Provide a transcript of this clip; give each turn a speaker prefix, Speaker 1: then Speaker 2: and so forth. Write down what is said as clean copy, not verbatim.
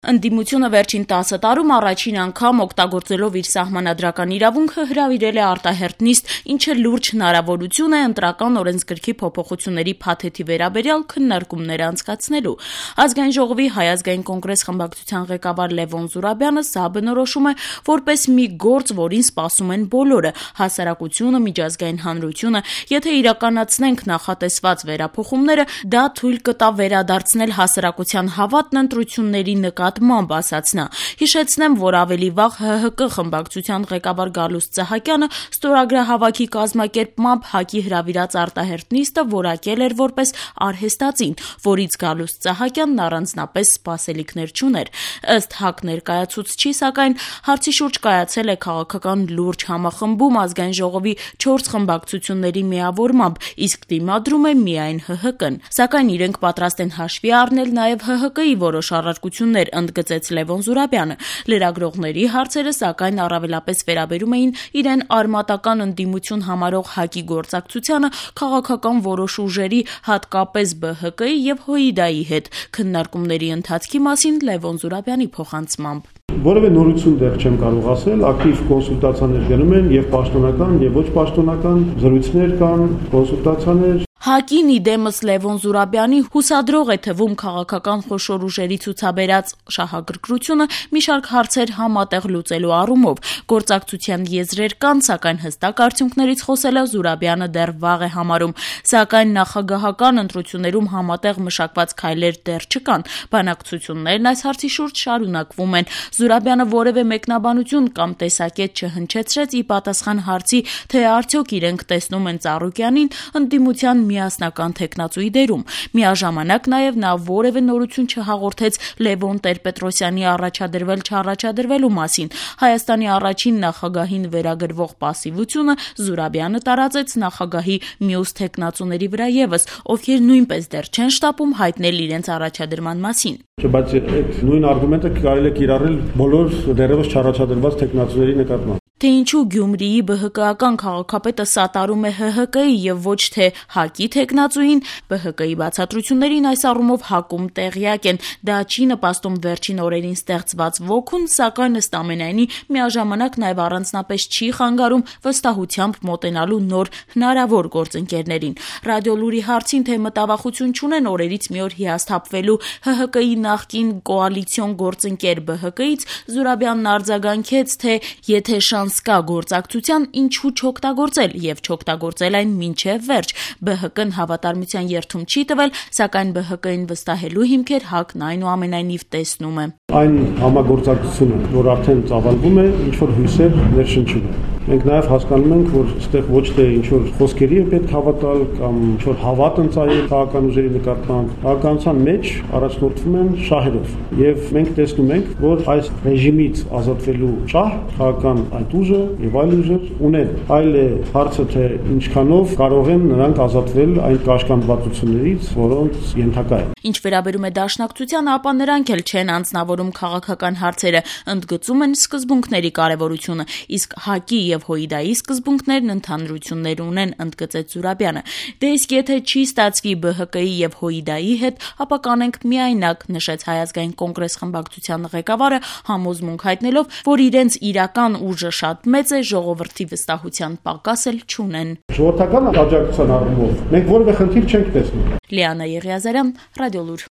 Speaker 1: Ընդդիմությունը վերջին 10 տարում առաջին անգամ օգտագործելով իր սահմանադրական իրավունքը հրավիրել է արտահերթ նիստ, ինչը լուրջ հնարավորություն է ընտրական օրենսգրքի փոփոխությունների փաթեթի վերաբերյալ քննարկումներ անցկացնելու։ Ազգային ժողովի Հայ ազգային կոնգրես խմբակցության ղեկավար Լևոն Զուրաբյանը սա բնորոշում է որպես մի գործ, որին սպասում են բոլորը՝ հասարակությունը, միջազգային հանրությունը։ Եթե իրականացնենք նախատեսված վերափոխումները, դա թույլ կտա վերադարձնել հասարակության հավատն ընտրությունների նկատմամբ, ասաց նա։ Հիշեցնեմ, որ ավելի վաղ ՀՀԿ խմբակցության ղեկավար Գալուստ Սահակյանը ստորագրահավաքի կազմակերպմամբ ՀԱԿ-ի հրավիրած արտահերթ նիստը որակել էր որպես արհեստածին, որից Գալուստ Սահակյանն առանձնապես սպասելիքներ չուներ։ Ըստ ՀԱԿ ներկայացուցչի, սակայն հարցի շուրջ կայացել է քաղաքական լուրջ համախմբում Ազգային ժողովի 4 խմբակցությունների միավորմամբ, իսկ դիմադրում է միայն ՀՀԿ-ն։ Սակայն իրենք պատրաստ են հաշվի առնել նաև ՀՀԿ-ի որոշ առարկություններ, ընդգծեց Լևոն Զուրաբյանը։ Լրագրողների հարցերը, սակայն, առավելապես վերաբերում էին իրեն արմատական ընդդիմություն համարող ՀԱԿ-ի գործակցությանը քաղաքական որոշ ուժերի, հատկապես ԲՀԿ-ի եւ ՀՅԴ-ի հետ։ Քննարկումների ընթացքի մասին Լևոն Զուրաբյանի փոխանցմամբ.
Speaker 2: Որևէ նորություն դեռ չեմ կարող ասել, ակտիվ կոնսուլտացիաներ գնում են եւ պաշտոնական եւ ոչ պաշտոնական զրույցներ կան, կոնսուլտացիաներ։
Speaker 1: ՀԱԿ-ին իդեմս Լևոն Զուրաբյանի հուսադրող է թվում քաղաքական խոշոր ուժերի ցուցաբերած շահագրգռությունը մի շարք հարցեր համատեղ լուծելու առումով։ Գործակցության եզրեր կան, սակայն հստակ արդյունքներից խոսելը Զուրաբյանը դեռ վաղ է համարում։ Սակայն նախագահական ընտրություններում համատեղ մշակված քայլեր դեռ չկան։ Բանակցություններն այս հարցի շուրջ շարունակվում են։ Զուրաբյանը որևէ մեկնաբանություն կամ տեսակետ չհնչեցրեց ի պատասխան հարցի, թե արդյոք իրենք տեսնում են Ծառուկյանին ընդդիմության միասնական թեկնածուի դերում։ Միաժամանակ նաև նա որևէ նորություն չհաղորդեց Լևոն Տեր-Պետրոսյանի առաջադրվել-չառաջադրվելու մասին։ Հայաստանի առաջին նախագահին վերագրվող պասիվությունը Զուրաբյանը տարածեց նախագահի մյուս թեկնածուների վրա ևս, ովքեր նույնպես դեռ չեն շտապում հայտնել իրենց առաջադրման մասին։
Speaker 2: Բայց այդ նույն արգումենտը կարելի է կիրառել բոլոր դեռևս չառաջադրված թեկնածուների նկատմամբ։
Speaker 1: Թե ինչու Գյումրիի ԲՀԿ-ական քաղաքապետը սատարում է ՀՀԿ-ի եւ ոչ թե ՀԱԿ-ի թեկնածուին, ԲՀԿ-ի բացատրություններին այս առումով ՀԱԿ-ում տեղյակ են։ Դա չի նպաստում վերջին օրերին ստեղծված ոգուն, սակայն ըստ ամենայնի միաժամանակ նաև առանձնապես չի խանգարում վստահությամբ մոտենալու նոր հնարավոր գործընկերներին։ Ռադիոլուրի հարցին, թե մտավախություն չունեն օրերից մի օր հիասթափվելու ՀՀԿ-ի նախկին կոալիցիոն գործընկեր ԲՀԿ-ից, Զուրաբյանն արձագանքեց, թե եթե շանս կա գործակցության, ինչու չօգտագործել եւ չօգտագործել այն մինչեւ վերջ։ ԲՀԿ-ն հավատարմության երթում չի տվել, սակայն ԲՀԿ-ին վստահելու հիմքեր ՀԱԿ-ն այնուամենայնիվ տեսնում է։
Speaker 2: Այն համագործակցությունը, որ արդեն ծավալվում է, ինչ որ հույսեր ներշնչում է։ Մենք նաև հասկանում ենք, որ այստեղ ոչ թե ինչ որ խոսքերի է պետք հավատալ կամ ինչ որ հավատ ընծայել քաղաքական ուժերի նկատմամբ, քաղաքականության մեջ առաջնորդվում են շահերով։ Եվ մենք տեսնում ենք, որ այս ռեժիմից ազատվելու շահ քաղաքական այդ ուժը եւ այլ ուժեր ունեն։ Այլ է հարցը, թե ինչքանով կարող են նրանք ազատվել այն կաշկանդվածություններից, որոնց ենթակա են։
Speaker 1: Ինչ վերաբերում է դաշնակցությանը, ապա նրանք էլ չեն անձնավորում քաղաքական հարցերը, ընդգծում են սկզբունքների կարևորությունը, իսկ ՀԱԿ-ի եւ ՀՅԴ-ի սկզբունքներն ընդհանրություններ ունեն, ընդգծեց Զուրաբյանը։ Դե իսկ եթե չի ստացվի ԲՀԿ-ի եւ ՀՅԴ-ի հետ, ապա կանենք միայնակ, նշեց Հայ ազգային կոնգրես խմբակցության ղեկավարը, համոզմունք հայտնելով, որ իրենց իրական ուժը շատ մեծ է, ժողովրդի վստահության պակաս էլ չունեն։
Speaker 2: Ժողովրդական աջակցության առումով մենք որևէ խնդիր չենք տեսնում։
Speaker 1: Լիանա Եղիազարյան, Ռադիոլուր։